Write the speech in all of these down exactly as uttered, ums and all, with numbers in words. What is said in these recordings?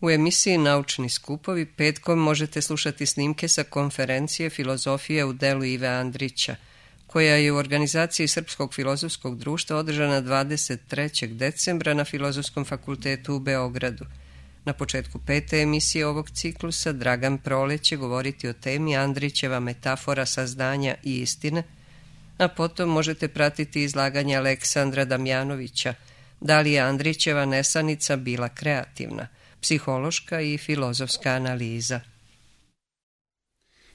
U emisiji Naučni skupovi petkom možete slušati snimke sa konferencije Filozofije u delu Ive Andrića, koja je u organizaciji Srpskog filozofskog društva održana dvadeset trećeg decembra na Filozofskom fakultetu u Beogradu. Na početku pete emisije ovog ciklusa Dragan Proleć će govoriti o temi Andrićeva metafora saznanja i istine, a potom možete pratiti izlaganje Aleksandra Damjanovića da li je Andrićeva nesanica bila kreativna, psihološka i filozofska analiza.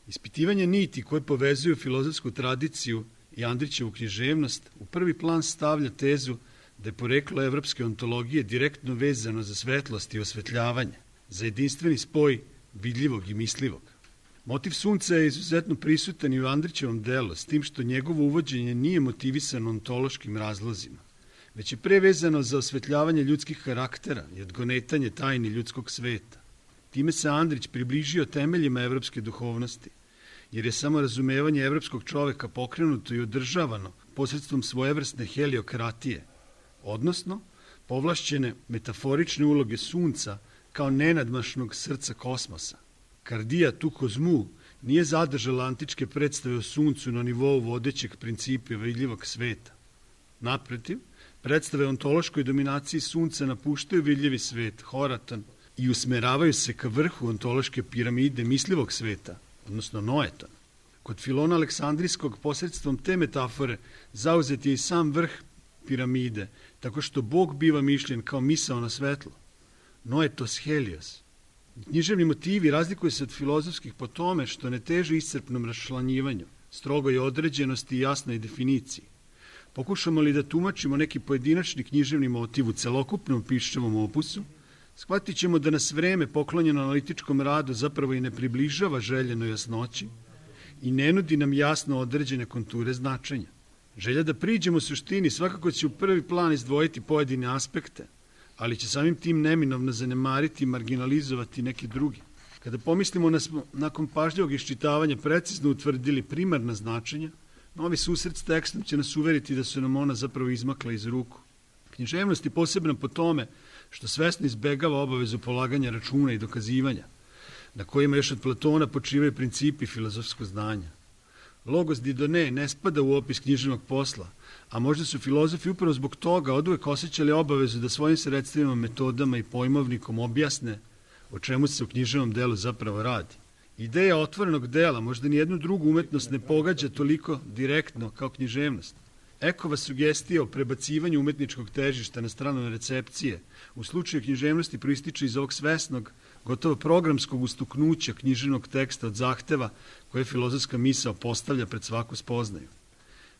Ispitivanje niti koje povezuju filozofsku tradiciju i Andrićevu književnost u prvi plan stavlja tezu da je poreklo evropske ontologije direktno vezano za svetlost i osvetljavanje, za jedinstveni spoj vidljivog i mislivog. Motiv sunca je izuzetno prisutan i u Andrićevom delu, s tim što njegovo uvođenje nije motivisano ontološkim razlozima, već je pre vezano za osvetljavanje ljudskih karaktera i odgonetanje tajni ljudskog sveta. Time se Andrić približio temeljima evropske duhovnosti, jer je samo razumevanje evropskog čoveka pokrenuto i održavano posredstvom svojevrsne heliokratije, odnosno povlašćene metaforične uloge sunca kao nenadmašnog srca kosmosa. Kardija tu kozmu nije zadržala antičke predstave o suncu na nivou vodećeg principa vidljivog sveta. Naprotiv, predstave o ontološkoj dominaciji sunca napuštaju vidljivi svet, horatan, i usmeravaju se ka vrhu ontološke piramide mislivog sveta, odnosno noetona. Kod Filona Aleksandrijskog posredstvom te metafore zauzet je i sam vrh piramide, tako što Bog biva mišljen kao misaona svetlo, noetos helios. Književni motivi razlikuju se od filozofskih po tome što ne teže iscrpnom raščlanjivanju, strogoj određenosti i jasnoj definiciji. Pokušamo li da tumačimo neki pojedinačni književni motiv u celokupnom piščevom opusu, shvatit ćemo da nas vreme poklonjeno analitičkom radu zapravo i ne približava željenoj jasnoći i ne nudi nam jasno određene konture značenja. Želja da priđemo suštini svakako će u prvi plan izdvojiti pojedine aspekte, ali će samim tim neminovno zanemariti i marginalizovati neki drugi. Kada pomislimo da smo nakon pažljivog iščitavanja precizno utvrdili primarna značenja, novi susret s tekstom će nas uveriti da su nam ona zapravo izmakla iz ruku. Književnost je posebna po tome što svesno izbegava obavezu polaganja računa i dokazivanja, na kojima još od Platona počivaju principi filozofskog znanja. Logos didone ne spada u opis književnog posla, a možda su filozofi upravo zbog toga oduvek osjećali obavezu da svojim sredstvima, metodama i pojmovnikom objasne o čemu se u književnom delu zapravo radi. Ideja otvorenog dela možda nijednu drugu umetnost ne pogađa toliko direktno kao književnost. Ekova sugestija o prebacivanju umetničkog težišta na stranu recepcije u slučaju književnosti proističe iz ovog svesnog, gotovo programskog ustuknuća književnog teksta od zahteva koje filozofska misao postavlja pred svaku spoznaju.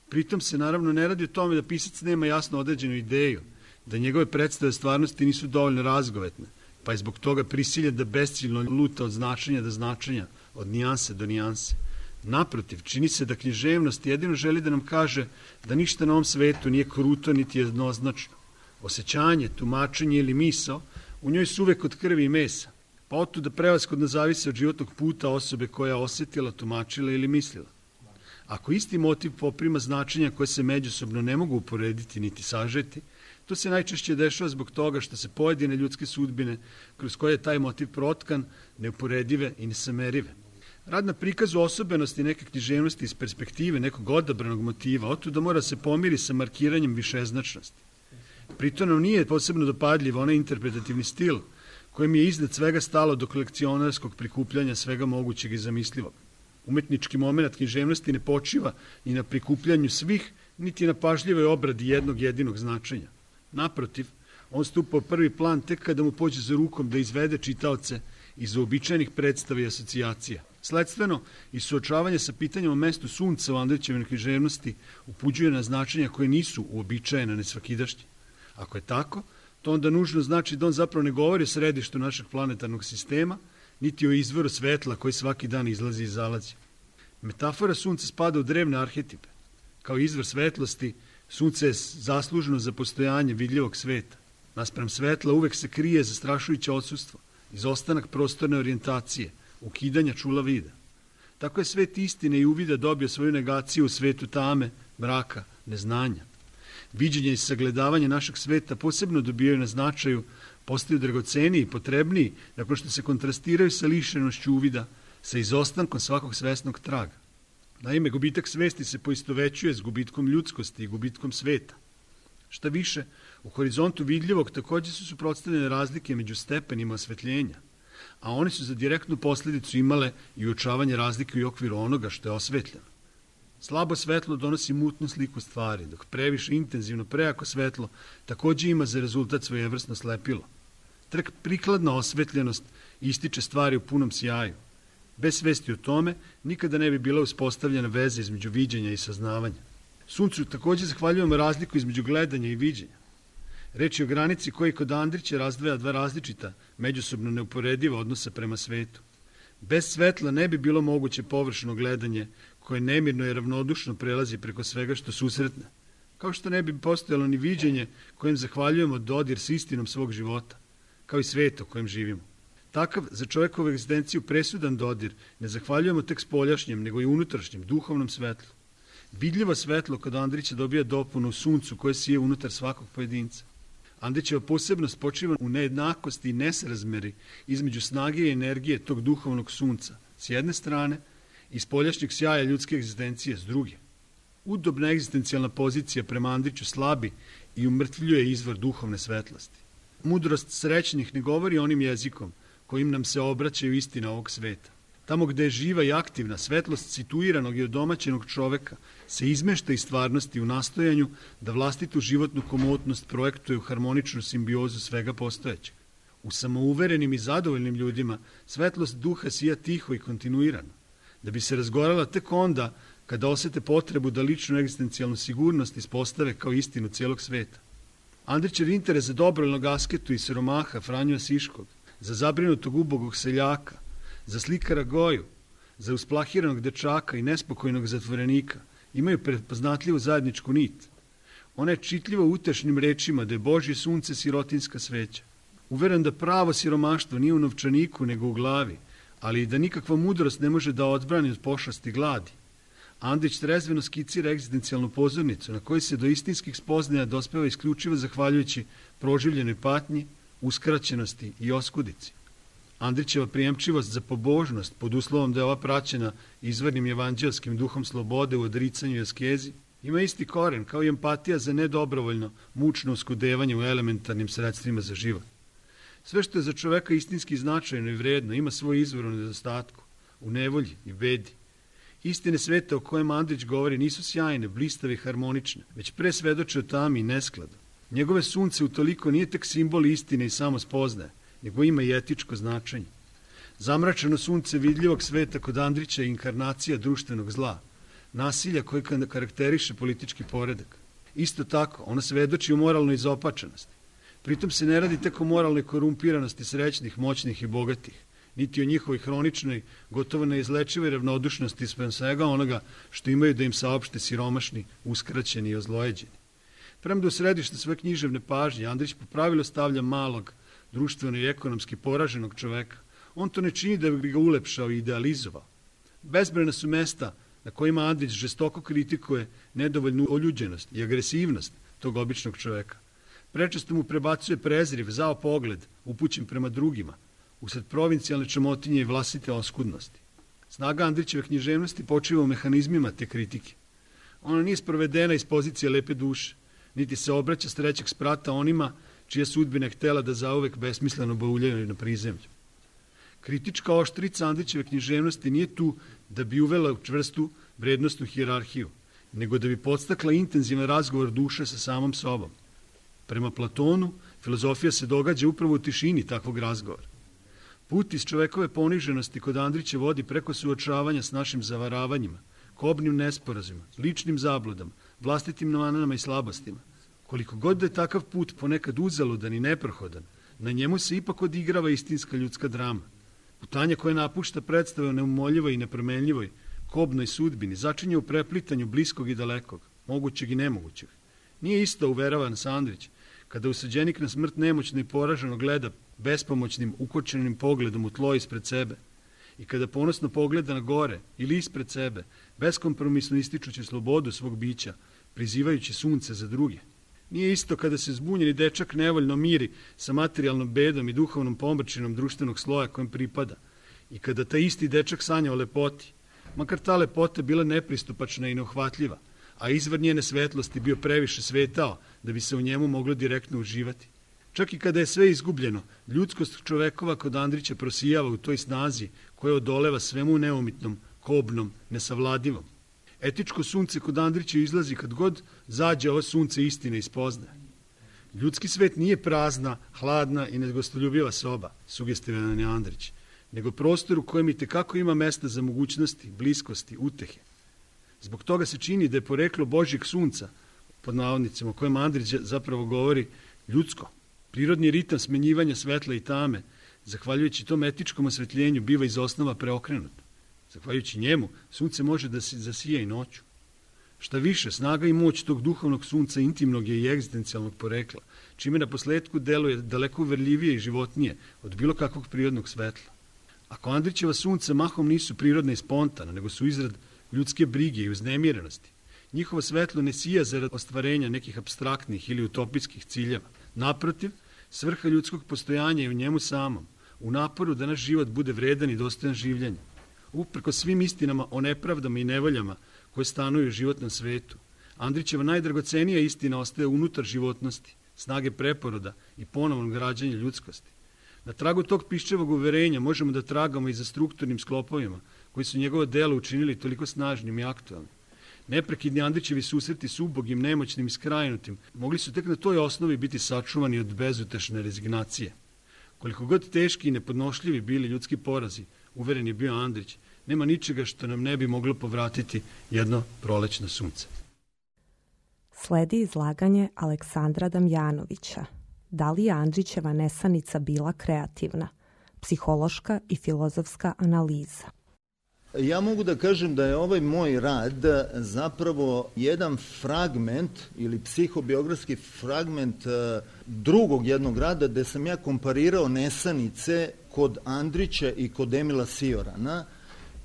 Pritom se naravno ne radi o tome da pisac nema jasno određenu ideju, da njegove predstave stvarnosti nisu dovoljno razgovetne, pa je zbog toga prisiljen da besciljno luta od značenja do značenja, od nijanse do nijanse. Naprotiv, čini se da književnost jedino želi da nam kaže da ništa na ovom svetu nije kruto niti jednoznačno. Osjećanje, tumačenje ili misao u njoj su uvek od krvi i mesa, pa otuda prevashodno zavise od životnog puta osobe koja je osjetila, tumačila ili mislila. Ako isti motiv poprima značenja koje se međusobno ne mogu uporediti niti sažeti, to se najčešće dešava zbog toga što se pojedine ljudske sudbine kroz koje je taj motiv protkan neuporedive i nesamerive. Rad na prikazu osobenosti neke književnosti iz perspektive nekog odabranog motiva, otuda mora se pomiri sa markiranjem višeznačnosti. Pritom nam nije posebno dopadljiv onaj interpretativni stil kojem je iznad svega stalo do kolekcionarskog prikupljanja svega mogućeg i zamislivog. Umetnički moment književnosti ne počiva ni na prikupljanju svih, niti na pažljivoj obradi jednog jedinog značenja. Naprotiv, on stupa u prvi plan tek kada mu pođe za rukom da izvede čitaoce iz uobičajenih predstava i asocijacija. Sledstveno, i suočavanje sa pitanjem o mestu sunca u Andrićevoj književnosti upuđuje na značenja koje nisu uobičajene, nesvakidašnje. Ako je tako, to onda nužno znači da on zapravo ne govori o središtu našeg planetarnog sistema, niti o izvoru svetla koji svaki dan izlazi i zalazi. Metafora sunca spada u drevne arhetipe. Kao izvor svetlosti, sunce je zasluženo za postojanje vidljivog sveta. Naspram svetla uvek se krije zastrašujuće odsustvo, izostanak prostorne orijentacije, ukidanja čula vida. Tako je svet istine i uvida dobio svoju negaciju u svetu tame, mraka, neznanja. Viđenje i sagledavanje našeg sveta posebno dobijaju na značaju postaju dragoceniji i potrebniji nakon što se kontrastiraju sa lišenošću uvida, sa izostankom svakog svesnog traga. Naime, gubitak svesti se poistovećuje s gubitkom ljudskosti i gubitkom sveta. Šta više, u horizontu vidljivog također su suprotstavljene razlike među stepenima osvetljenja, a one su za direktnu posljedicu imale i uočavanje razlike u okviru onoga što je osvetljeno. Slabo svetlo donosi mutnu sliku stvari, dok previše intenzivno, prejako svetlo također ima za rezultat svojevrsno slepilo. Tek prikladna osvetljenost ističe stvari u punom sjaju. Bez svesti o tome nikada ne bi bila uspostavljena veza između viđenja i saznavanja. Suncu također zahvaljujemo razliku između gledanja i viđenja. Reč je o granici koji kod Andrića razdvaja dva različita, međusobno neuporediva odnosa prema svetu. Bez svetla ne bi bilo moguće površno gledanje koje nemirno i ravnodušno prelazi preko svega što susretne, kao što ne bi postojalo ni viđenje kojem zahvaljujemo dodir s istinom svog života, kao i svet u kojem živimo. Takav za čovjekovu egzistenciju presudan dodir ne zahvaljujemo tek spoljašnjem, nego i unutrašnjem, duhovnom svetlu. Vidljivo svetlo kod Andrića dobija dopunu u suncu koje sije unutar svakog pojedinca. Andrićeva posebnost počiva u nejednakosti i nesrazmeri između snage i energije tog duhovnog sunca s jedne strane i spoljašnjeg sjaja ljudske egzistencije s druge. Udobna egzistencijalna pozicija prema Andriću slabi i umrtvljuje izvor duhovne svetlosti. Mudrost srećnih ne govori onim jezikom kojim nam se obraćaju istine ovog sveta. Tamo gde je živa i aktivna, svetlost situiranog i odomaćenog čoveka se izmešta iz stvarnosti u nastojanju da vlastitu životnu komotnost projektuje u harmoničnu simbiozu svega postojećeg. U samouverenim i zadovoljnim ljudima svetlost duha sija tiho i kontinuirano, da bi se razgorala tek onda kada osete potrebu da ličnu egzistencijalnu sigurnost ispostave kao istinu cijelog sveta. Andrićev interes za dobrovoljnog asketu i siromaha Franju Asiškog, za zabrinutog ubogog seljaka, za slikara Goju, za usplahiranog dečaka i nespokojnog zatvorenika imaju prepoznatljivu zajedničku nit. Ona je čitljiva utešnim rečima da je Božje sunce sirotinska sveća. Uveren da pravo siromaštvo nije u novčaniku nego u glavi, ali i da nikakva mudrost ne može da odbrani od pošasti gladi. Andrić trezveno skicira egzistencijalnu pozornicu na kojoj se do istinskih spoznaja dospeva isključivo zahvaljujući proživljenoj patnji, uskraćenosti i oskudici. Andrićeva prijemčivost za pobožnost, pod uslovom da je ova praćena izvornim evanđelskim duhom slobode u odricanju i askezi, ima isti koren kao i empatija za nedobrovoljno, mučno uskudevanje u elementarnim sredstvima za život. Sve što je za čoveka istinski značajno i vredno ima svoj izvor u nedostatku, u nevolji i bedi. Istine sveta o kojem Andrić govori nisu sjajne, blistave i harmonične, već pre svedoče o tami i neskladu. Njegove sunce utoliko nije tek simbol istine i samospoznaje, nego ima i etičko značenje. Zamračeno sunce vidljivog sveta kod Andrića je inkarnacija društvenog zla, nasilja koje karakteriše politički poredak. Isto tako, ona svedoči o moralnoj izopačenosti. Pritom se ne radi tek o moralnoj korumpiranosti srećnih, moćnih i bogatih, niti o njihovoj hroničnoj, gotovo neizlečivoj ravnodušnosti spram svega onoga što imaju da im saopšte siromašni, uskraćeni i ozlojeđeni. Premda u središte svoje književne pažnje Andrić po pravilu stavlja malog, društveno i ekonomski poraženog čoveka. On to ne čini da bi ga ulepšao i idealizovao. Bezbrojna su mesta na kojima Andrić žestoko kritikuje nedovoljnu oljuđenost i agresivnost tog običnog čoveka. Prečesto mu prebacuje prezriv, zao pogled, upućen prema drugima, usred provincijalne čamotinje i vlastite oskudnosti. Snaga Andrićeve književnosti počiva u mehanizmima te kritike. Ona nije sprovedena iz pozicije lepe duše, niti se obraća s trećeg sprata onima čija sudbina je htela da zauvek besmisleno bauljaju na prizemlju. Kritička oštrica Andrićeve književnosti nije tu da bi uvela u čvrstu vrednostnu hijerarhiju, nego da bi podstakla intenzivan razgovor duše sa samom sobom. Prema Platonu, filozofija se događa upravo u tišini takvog razgovora. Put iz čovekove poniženosti kod Andrića vodi preko suočavanja s našim zavaravanjima, kobnim nesporazima, ličnim zabludama, vlastitim manama i slabostima. Koliko god da je takav put ponekad uzaludan i neprohodan, na njemu se ipak odigrava istinska ljudska drama. Putanja koja napušta predstave o neumoljivoj i nepromenljivoj, kobnoj sudbini, začinje u preplitanju bliskog i dalekog, mogućeg i nemogućeg. Nije isto, uverava nas Andrić, kada usuđenik na smrt nemoćno i poraženo gleda bespomoćnim, ukočenim pogledom u tlo ispred sebe i kada ponosno pogleda na gore ili ispred sebe, beskompromisno ističući slobodu svog bića, prizivajući sunce za druge. Nije isto kada se zbunjeni dečak nevoljno miri sa materijalnom bedom i duhovnom pomrčinom društvenog sloja kojem pripada i kada taj isti dečak sanja o lepoti, makar ta lepota bila nepristupačna i neuhvatljiva, a izvor njene svetlosti bio previše svetao da bi se u njemu moglo direktno uživati. Čak i kada je sve izgubljeno, ljudskost čovekova kod Andrića prosijava u toj snazi koja odoleva svemu neumitnom, kobnom, nesavladivom. Etičko sunce kod Andrića izlazi kad god zađe ovo sunce istine i spoznaje. Ljudski svet nije prazna, hladna i negostoljubiva soba, sugestivan je Andrić, nego prostor u kojem i tekako ima mesta za mogućnosti, bliskosti, utehe. Zbog toga se čini da je poreklo Božjeg sunca, pod navodnicima o kojem Andrić zapravo govori, ljudsko. Prirodni ritam smenjivanja svetla i tame, zahvaljujući tom etičkom osvetljenju, biva iz osnova preokrenut. Zahvaljujući njemu, sunce može da se zasija i noću. Šta više, snaga i moć tog duhovnog sunca intimnog je i egzistencijalnog porekla, čime na posledku deluje daleko uverljivije i životnije od bilo kakvog prirodnog svetla. Ako Andrićeva sunca mahom nisu prirodne i spontana, nego su izrad ljudske brige i uznemirenosti, njihovo svetlo ne sija zarad ostvarenja nekih apstraktnih ili utopijskih ciljeva. Naprotiv, svrha ljudskog postojanja je u njemu samom, u naporu da naš život bude vredan i dostojan življenja. Uprko svim istinama o nepravdama i nevoljama koje stanuju u životnom svetu, Andrićeva najdragocenija istina ostaje unutar životnosti, snage preporoda i ponovnog rađanja ljudskosti. Na tragu tog piščevog uverenja možemo da tragamo i za strukturnim sklopovima koji su njegovo delo učinili toliko snažnim i aktualnim. Neprekidni Andrićevi susreti s ubogim, nemoćnim i skrajnutim mogli su tek na toj osnovi biti sačuvani od bezutešne rezignacije. Koliko god teški i nepodnošljivi bili ljudski porazi, uveren je bio Andrić, nema ničega što nam ne bi moglo povratiti jedno prolećno sunce. Sledi izlaganje Aleksandra Damjanovića. Da li je Andrićeva nesanica bila kreativna? Psihološka i filozofska analiza. Ja mogu da kažem da je ovaj moj rad zapravo jedan fragment ili psihobiografski fragment drugog jednog rada gde sam ja komparirao nesanice kod Andrića i kod Emila Siorana.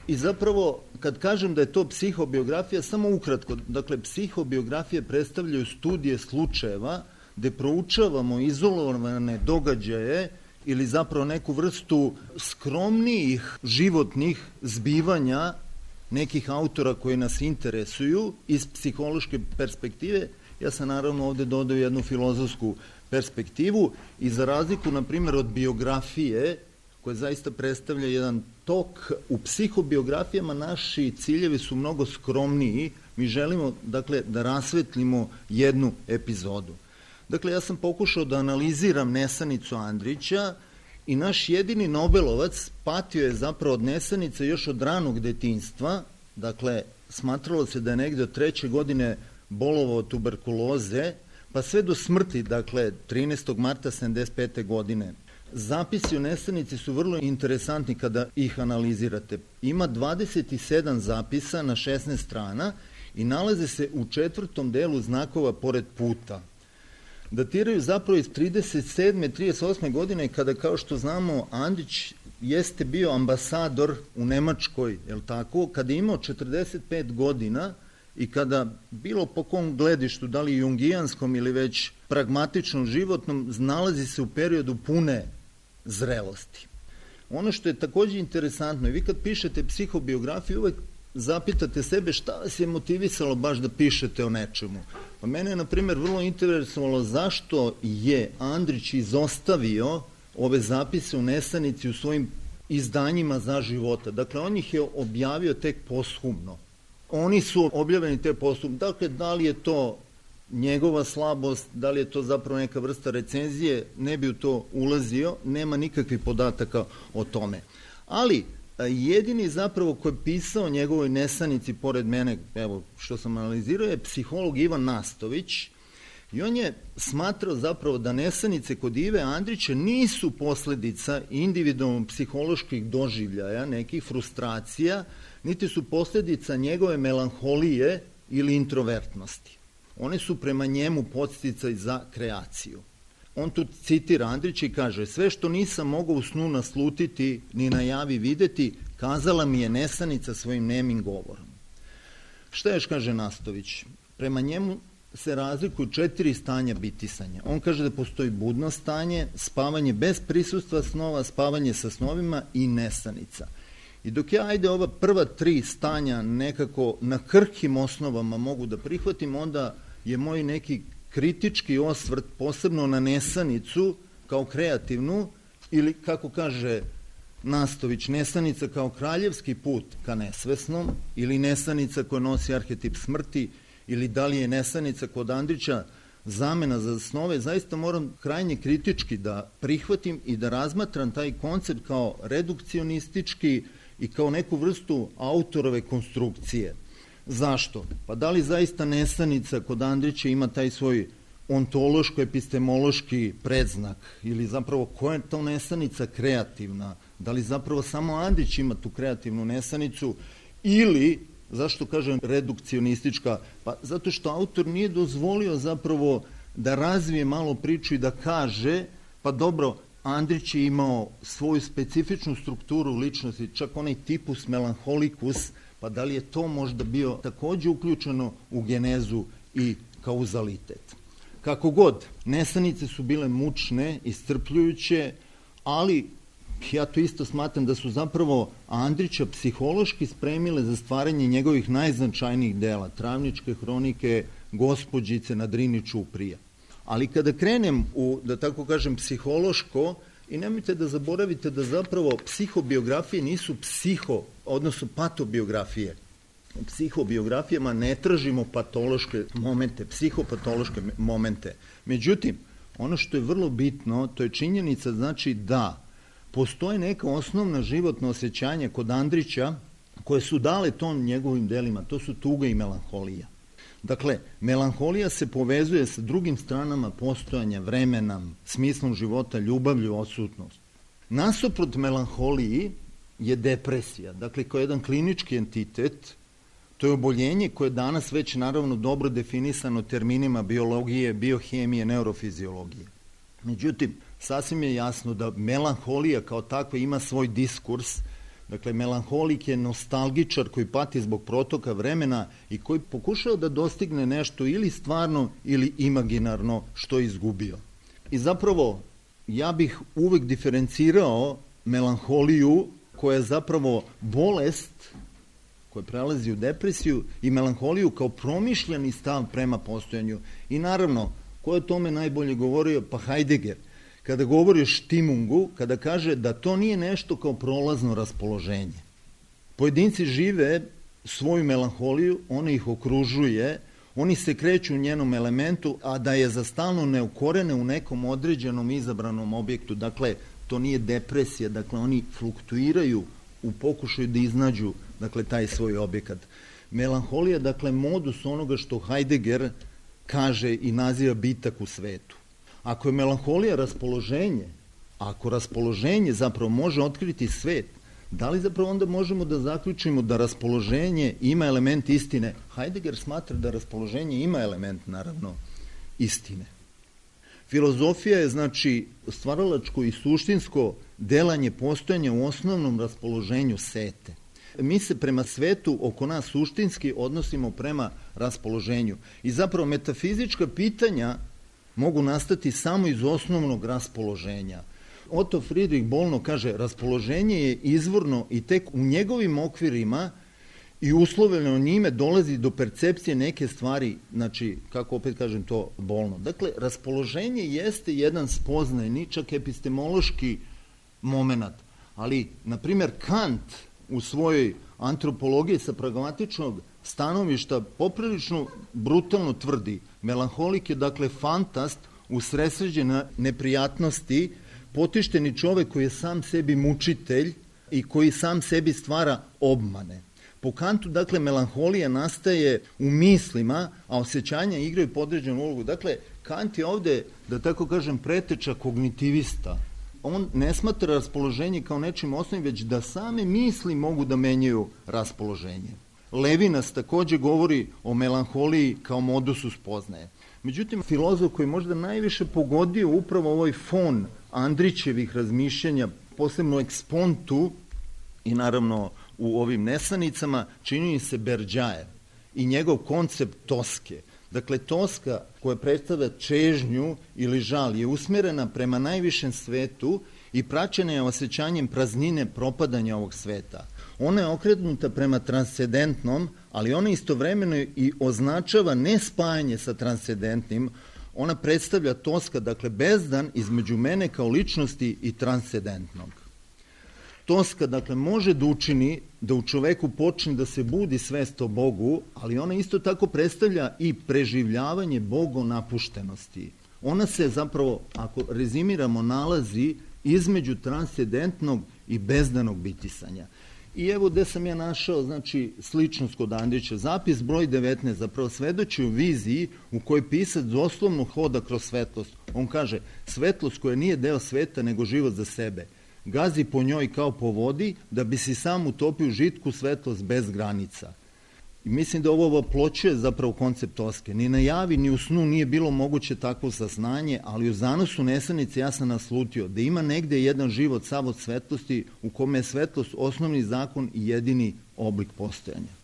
I zapravo, kad kažem da je to psihobiografija, samo ukratko, dakle, psihobiografije predstavljaju studije slučajeva gde proučavamo izolovane događaje ili zapravo neku vrstu skromnijih životnih zbivanja nekih autora koji nas interesuju iz psihološke perspektive. Ja sam naravno ovde dodao jednu filozofsku perspektivu i za razliku, na primjer, od biografije, koja zaista predstavlja jedan tok, u psihobiografijama naši ciljevi su mnogo skromniji. Mi želimo, dakle, da rasvetlimo jednu epizodu. Dakle, ja sam pokušao da analiziram nesanicu Andrića i naš jedini Nobelovac patio je zapravo od nesanice još od ranog detinjstva. Dakle, smatralo se da je negde od treće godine bolovao od tuberkuloze, pa sve do smrti, dakle, trinaestog marta sedamdeset pete godine. Zapisi o nesanici su vrlo interesantni kada ih analizirate. Ima dvadeset sedam zapisa na šesnaest strana i nalaze se u četvrtom delu znakova pored puta. Datiraju zapravo iz trideset sedme trideset osme godine kada, kao što znamo, Andrić jeste bio ambasador u Nemačkoj, je li tako, kada je imao četrdeset pet godina i kada, bilo po kom gledištu, da li jungijanskom ili već pragmatičnom životnom, nalazi se u periodu pune zrelosti. Ono što je takođe interesantno, i vi kad pišete psihobiografiju, uvek zapitate sebe šta vas je motivisalo baš da pišete o nečemu. Pa mene je, na primjer, vrlo interesovalo zašto je Andrić izostavio ove zapise u nesanici u svojim izdanjima za života. Dakle, on ih je objavio tek posthumno. Oni su objavljeni tek posthumno. Dakle, da li je to njegova slabost, da li je to zapravo neka vrsta recenzije, ne bi u to ulazio, nema nikakvih podataka o tome. Ali, jedini zapravo ko je pisao njegovoj nesanici pored mene, evo što sam analizirao, je psiholog Ivan Nastović i on je smatrao zapravo da nesanice kod Ive Andrića nisu posledica individualno psiholoških doživljaja, nekih frustracija, niti su posledica njegove melanholije ili introvertnosti. One su prema njemu podsticaj za kreaciju. On tu citira Andrića i kaže: sve što nisam mogao u snu naslutiti ni na javi videti, kazala mi je nesanica svojim nemim govorom. Šta još kaže Nastović? Prema njemu se razlikuju četiri stanja bitisanja. On kaže da postoji budno stanje, spavanje bez prisustva snova, spavanje sa snovima i nesanica. I dok ja, ajde, ova prva tri stanja nekako na krhkim osnovama mogu da prihvatim, onda je moj neki kritički osvrt posebno na nesanicu kao kreativnu, ili kako kaže Nastović, nesanica kao kraljevski put ka nesvesnom, ili nesanica koja nosi arhetip smrti, ili da li je nesanica kod Andrića zamena za snove. Zaista moram krajnje kritički da prihvatim i da razmatram taj koncept kao redukcionistički i kao neku vrstu autorove konstrukcije. Zašto? Pa da li zaista nesanica kod Andrića ima taj svoj ontološko-epistemološki predznak, ili zapravo koja je to nesanica kreativna? Da li zapravo samo Andrić ima tu kreativnu nesanicu, ili, zašto kažem redukcionistička? Pa zato što autor nije dozvolio zapravo da razvije malo priču i da kaže, pa dobro, Andrić je imao svoju specifičnu strukturu ličnosti, čak onaj tipus melanholikus, pa da li je to možda bio takođe uključeno u genezu i kauzalitet. Kako god, nesanice su bile mučne, iscrpljujuće, ali ja to isto smatram da su zapravo Andrića psihološki spremile za stvaranje njegovih najznačajnijih dela, Travničke hronike, Gospođice na Drini Čuprija. Ali kada krenem u, da tako kažem, psihološko, i nemojte da zaboravite da zapravo psihobiografije nisu psiho, odnosno patobiografije. U psihobiografijama ne tražimo patološke momente, psihopatološke momente. Međutim, ono što je vrlo bitno, to je činjenica, znači da postoje neka osnovna životna osjećanja kod Andrića koje su dale ton njegovim delima, to su tuga i melanholija. Dakle, melanholija se povezuje sa drugim stranama postojanja, vremena, smislom života, ljubavlju, odsutnost. Nasuprot melanholiji je depresija, dakle kao jedan klinički entitet. To je oboljenje koje je danas već naravno dobro definisano terminima biologije, biohemije, neurofiziologije. Međutim, sasvim je jasno da melanholija kao takva ima svoj diskurs. Dakle, melanholik je nostalgičar koji pati zbog protoka vremena i koji pokušao da dostigne nešto ili stvarno ili imaginarno što je izgubio. I zapravo, ja bih uvek diferencirao melanholiju koja je zapravo bolest koja prelazi u depresiju i melanholiju kao promišljeni stav prema postojanju. I naravno, ko je o tome najbolje govorio? Pa Heidegger. Kada govori o štimungu, kada kaže da to nije nešto kao prolazno raspoloženje. Pojedinci žive svoju melanholiju, ona ih okružuje, oni se kreću u njenom elementu, a da je za stalno neukorene u nekom određenom izabranom objektu. Dakle, to nije depresija, dakle oni fluktuiraju u pokušaju da iznađu, dakle, taj svoj objekat. Melanholija, dakle, modus onoga što Heidegger kaže i naziva bitak u svetu. Ako je melanholija raspoloženje, ako raspoloženje zapravo može otkriti svet, da li zapravo onda možemo da zaključimo da raspoloženje ima element istine? Heidegger smatra da raspoloženje ima element, naravno, istine. Filozofija je, znači, stvaralačko i suštinsko delanje postojanja u osnovnom raspoloženju sete. Mi se prema svetu oko nas suštinski odnosimo prema raspoloženju. I zapravo metafizička pitanja mogu nastati samo iz osnovnog raspoloženja. Otto Friedrich Bollno kaže, raspoloženje je izvorno i tek u njegovim okvirima i uslovljeno njime dolazi do percepcije neke stvari, znači, kako opet kažem to, Bollno. Dakle, raspoloženje jeste jedan spoznajni, čak epistemološki moment, ali, na primjer, Kant u svojoj antropologiji sa pragmatičnog stanovišta poprilično brutalno tvrdi. Melanholik je, dakle, fantast usresređen neprijatnosti, potišteni čovek koji je sam sebi mučitelj i koji sam sebi stvara obmane. Po Kantu, dakle, melanholija nastaje u mislima, a osjećanja igraju podređenu ulogu. Dakle, Kant je ovde, da tako kažem, preteča kognitivista. On ne smatra raspoloženje kao nečim osnovim, već da same misli mogu da menjaju raspoloženje. Levinas takođe govori o melanholiji kao modusu spoznaje. Međutim, filozof koji možda najviše pogodio upravo ovaj fon Andrićevih razmišljanja, posebno ekspontu i naravno u ovim nesanicama, čini se Berdjajev i njegov koncept toske. Dakle, toska koja predstavlja čežnju ili žal je usmjerena prema najvišem svetu i praćena je osjećanjem praznine propadanja ovog sveta. Ona je okrenuta prema transcendentnom, ali ona istovremeno i označava ne spajanje sa transcendentnim. Ona predstavlja toska, dakle bezdan između mene kao ličnosti i transcendentnog. Toska, dakle, može da učini da u čoveku počne da se budi svest o Bogu, ali ona isto tako predstavlja i preživljavanje bogonapuštenosti. Ona se zapravo, ako rezimiramo, nalazi između transcendentnog i bezdanog bitisanja. I evo gde sam ja našao, znači, sličnost kod Andrića. Zapis broj devetnaest zapravo svedoči o viziji u kojoj pisac doslovno hoda kroz svetlost. On kaže, svetlost koja nije deo sveta nego život za sebe. Gazi po njoj kao po vodi da bi si sam utopio žitku svetlost bez granica. I mislim da ovo oploćuje zapravo koncept toske. Ni na javi, ni u snu nije bilo moguće takvo saznanje, ali u zanosu nesanice ja sam naslutio da ima negde jedan život sav od svetlosti u kome je svetlost osnovni zakon i jedini oblik postojanja.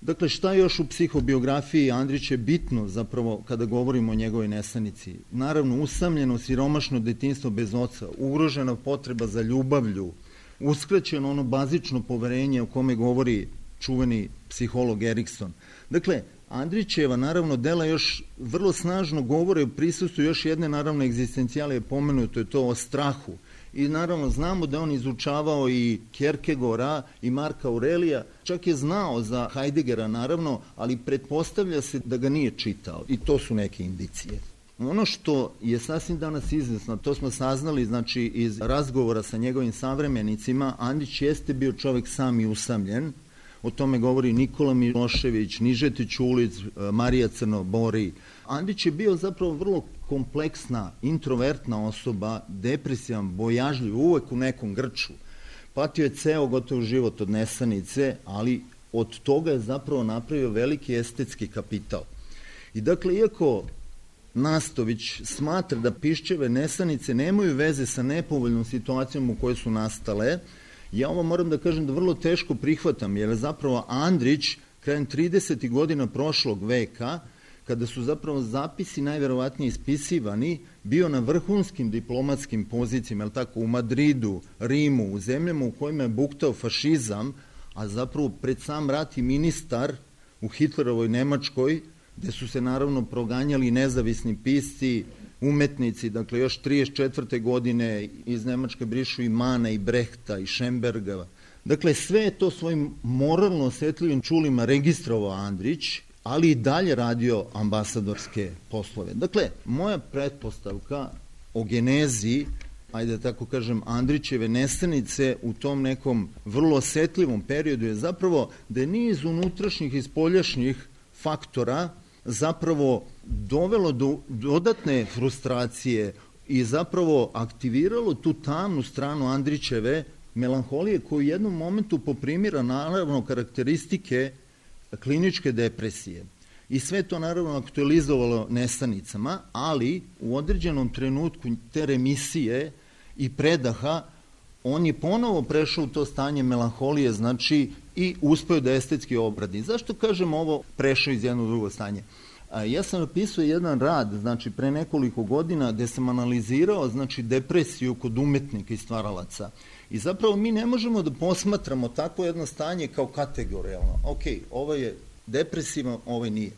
Dakle, šta još u psihobiografiji Andrića je bitno zapravo kada govorimo o njegovoj nesanici? Naravno, usamljeno, siromašno detinjstvo bez oca, ugrožena potreba za ljubavlju, uskraćeno ono bazično poverenje o kome govori čuveni psiholog Erikson. Dakle, Andrićeva, naravno, dela još vrlo snažno govore o prisustvu još jedne, naravno, egzistencijale je pomenuto, je to o strahu. I naravno znamo da on izučavao i Kierkegaarda i Marka Aurelija, čak je znao za Heideggera, naravno, ali pretpostavlja se da ga nije čitao i to su neke indicije. Ono što je sasvim danas izvesno, to smo saznali, znači, iz razgovora sa njegovim savremenicima, Andrić jeste bio čovek sam i usamljen. O tome govori Nikola Milošević, Nižeti Ćulić, Marija Crnobori. Andrić je bio zapravo vrlo kompleksna, introvertna osoba, depresivan, bojažljiv, uvek u nekom grču. Patio je ceo gotov život od nesanice, ali od toga je zapravo napravio veliki estetski kapital. I dakle, iako Nastović smatra da Piščeve nesanice nemaju veze sa nepovoljnom situacijom u kojoj su nastale, ja ovo moram da kažem da vrlo teško prihvatam, jer zapravo Andrić krajem tridesetih godina prošlog veka, kada su zapravo zapisi najverovatnije ispisivani, bio na vrhunskim diplomatskim pozicijama, je tako, u Madridu, Rimu, u zemljama u kojima je buktao fašizam, a zapravo pred sam rat i ministar u Hitlerovoj Nemačkoj, gde su se naravno proganjali nezavisni pisci, umetnici, dakle još trideset četvrte godine iz Nemačke brišu i Mana, i Brehta, i Šemberga. Dakle, sve je to svojim moralno osetljivim čulima registrovao Andrić, ali i dalje radio ambasadorske poslove. Dakle, moja pretpostavka o genezi, ajde da tako kažem, Andrićeve nesanice u tom nekom vrlo osetljivom periodu je zapravo da je niz unutrašnjih i spoljašnjih faktora zapravo dovelo do dodatne frustracije i zapravo aktiviralo tu tamnu stranu Andrićeve melanholije koju u jednom momentu poprimira naravno karakteristike kliničke depresije. I sve to naravno aktualizovalo nesanicama, ali u određenom trenutku te remisije i predaha on je ponovo prešao u to stanje melanholije, znači i uspeo da estetski obradi. Zašto kažem ovo prešao iz jednog drugo stanje? Ja sam napisao jedan rad, znači pre nekoliko godina, gde sam analizirao, znači, depresiju kod umetnika i stvaralaca. I zapravo mi ne možemo da posmatramo takvo jedno stanje kao kategorijalno. Ok, ovo je depresivan, ovo nije.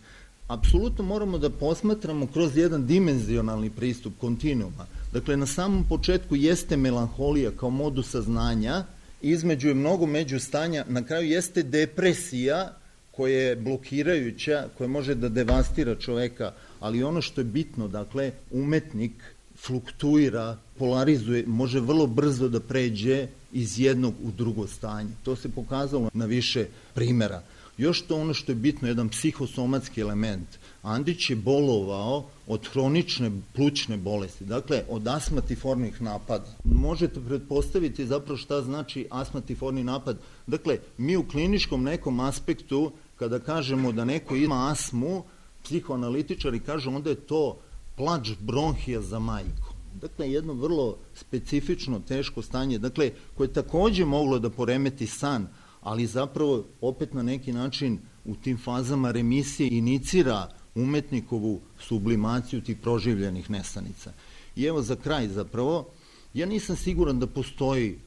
Apsolutno moramo da posmatramo kroz jedan dimenzionalni pristup kontinuuma. Dakle, na samom početku jeste melanholija kao modus saznanja, između je mnogo međustanja, na kraju jeste depresija koja je blokirajuća, koja može da devastira čoveka, ali ono što je bitno, dakle, umetnik fluktuira, polarizuje, može vrlo brzo da pređe iz jednog u drugo stanje. To se pokazalo na više primera. Još to ono što je bitno, jedan psihosomatski element. Andrić je bolovao od hronične plućne bolesti, dakle od astmatifornih napada. Možete pretpostaviti zapravo šta znači astmatiforni napad. Dakle, mi u kliničkom nekom aspektu, kada kažemo da neko ima astmu, psihoanalitičari kažu onda je to plač bronhija za majku. Dakle, jedno vrlo specifično, teško stanje, dakle, koje je takođe moglo da poremeti san, ali zapravo opet na neki način u tim fazama remisije inicira umetnikovu sublimaciju tih proživljenih nesanica. I evo za kraj zapravo, ja nisam siguran da postoji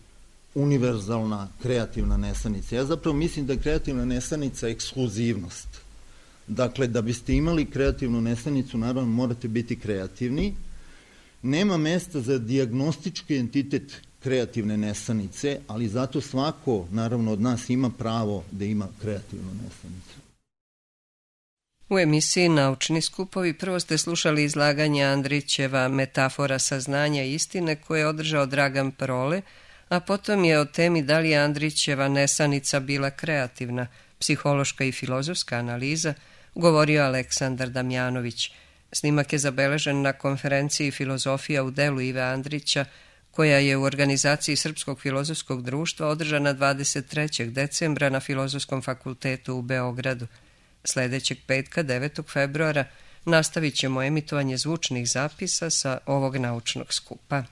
univerzalna kreativna nesanica. Ja zapravo mislim da je kreativna nesanica ekskluzivnost. Dakle, da biste imali kreativnu nesanicu, naravno morate biti kreativni. Nema mesta za dijagnostički entitet kreativne nesanice, ali zato svako, naravno, od nas ima pravo da ima kreativnu nesanicu. U emisiji Naučni skupovi prvo ste slušali izlaganje Andrićeva Metafora saznanja i istine koje je održao Dragan Prole, a potom je o temi da li je Andrićeva nesanica bila kreativna, psihološka i filozofska analiza, govorio Aleksandar Damjanović. Snimak je zabeležen na konferenciji Filozofija u delu Ive Andrića, koja je u organizaciji Srpskog filozofskog društva održana dvadeset trećeg decembra na Filozofskom fakultetu u Beogradu. Sljedećeg petka, devetog februara, nastavit ćemo emitovanje zvučnih zapisa sa ovog naučnog skupa.